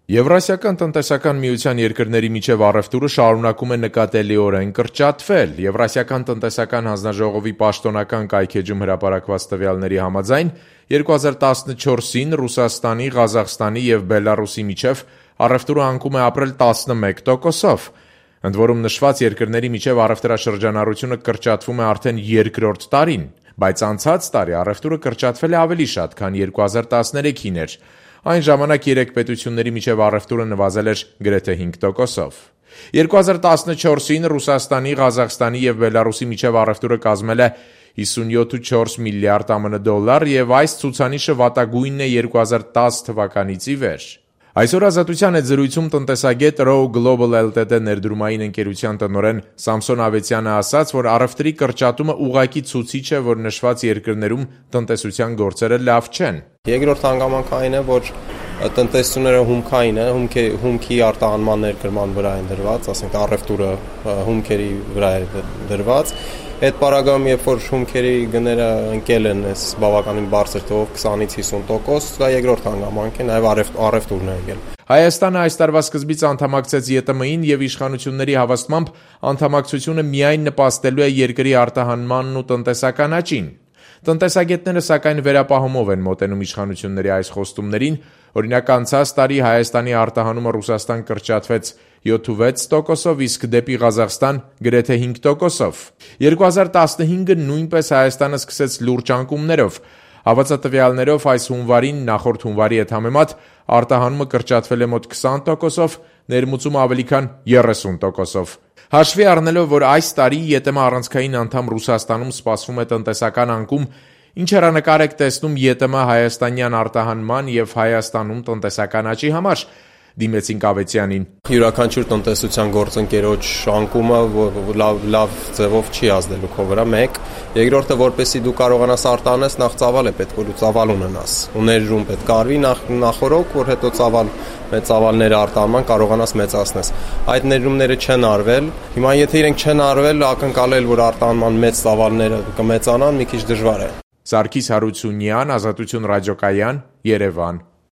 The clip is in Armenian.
Եվրասիական տնտեսական միության երկրների միջև առևտուրը շարունակում է նկատելիորեն կրճատվել։ Եվրասիական տնտեսական հանձնաժողովի պաշտոնական կայքէջում հրապարակված տվյալների համաձայն 2014-ին Ռուսաստանի, Ղազախստանի և Բելառուսի միջև առևտուրը անկում է ապրել 11%-ով։ Ընդ որում նշված երկրների միջև առևտրաշրջանառությունը կրճատվում է արդեն երկրորդ տարին, բայց անցած տարի առևտուրը կրճատվել է ավելի շատ, քան 2013-ին էր։ Այն ժամանակ երեք պետությունների միջև առևտուրը նվազել էր գրեթե 5%-ով։ 2014-ին Ռուսաստանի, Ղազախստանի և Բելառուսի միջև առևտուրը կազմել է 57.4 միլիարդ ԱՄՆ դոլար և այս ցուցանիշը վատագույնն է 2010 թվականից ի վեր։ Այսօր Ազատության հետ զրույցում տնտեսագետ Row Global Ltd ներդրումային ընկերության տնօրեն Սամսոն Ավետյանը ասաց, որ առևտրի կրճատումը ուղղակի ցուցիչ է, որ նշված երկրներում տնտեսության գործերը լավ չեն։ Երկրորդ հանգամանքը այն է, որ տնտեսությունները հումքային է, հումքի արտահանման ներկրման վրա են դրված, ասենք առևտուրը հումքերի վրա է դրված։ Այդ պարագայում, երբ որ հումքերի գները ընկել են այս բավականին բարձր թվով 20-ից 50%, դա երկրորդ հանգամանք է, նաև առևտուրն է եկել։ Հայաստանը այս տարվա սկզբից անդամակցեց ԵՏՄ-ին և իշխանությունների հավաստմամբ անդամակցությունը միայն նպաստելու է երկրի արտահանմանն ու տնտեսական աճին։ Տնտեսագետները սակայն վերապահումով են մոտենում իշխանությունների այս խոստումներին, օրինակ անցած տարի Հայաստանի արտահանումը Ռուսաստան կրճատվեց 7.6%-ով, իսկ դեպի Ղազախստան գրեթե 5%-ով։ 2015-ը նույնպես Հայաստանը սկսեց լուրջ անկումներով։ Հավաստատվյալներով այս հունվարին նախորդ հունվարի հետ համեմատ արտահանումը կրճատվել է մոտ 20%-ով, ներմուծումը ավելի քան 30%-ով։ Հաշվի առնելով, որ այս տարի ԵՏՄ առանցքային անդամ Ռուսաստանում սպասվում է տնտեսական անկում, ինչ հեռանկար եք տեսնում ԵՏՄ հայաստանյան արտահանման և Հայաստանում տնտեսական աճի համար, դիմեցինք Ավետյանին։ Յուրաքանչյուր տնտեսության գործընկերոջ անկումը լավ ձևով չի ազդելու քո վրա, մեկ։ Երկրորդը, որպեսզի դու կարողանաս արտահանես, նախ ծավալ է պետք, որ դու ծավալ ունենաս։ Ու ներդրում պետք արվի նախորոք, որ հետո մեծ ծավալները արտահանման կարողանաս մեծացնես։ Այդ ներդրումները չեն արվել։ Հիմա եթե իրենք չեն արվել, ակնկալել, որ արտահանման մեծ ծավալները կմեծանան, մի քիչ դժվար է։ Սարգիս Հարությունյան, Ազատություն ռադիոկայան, Երևան։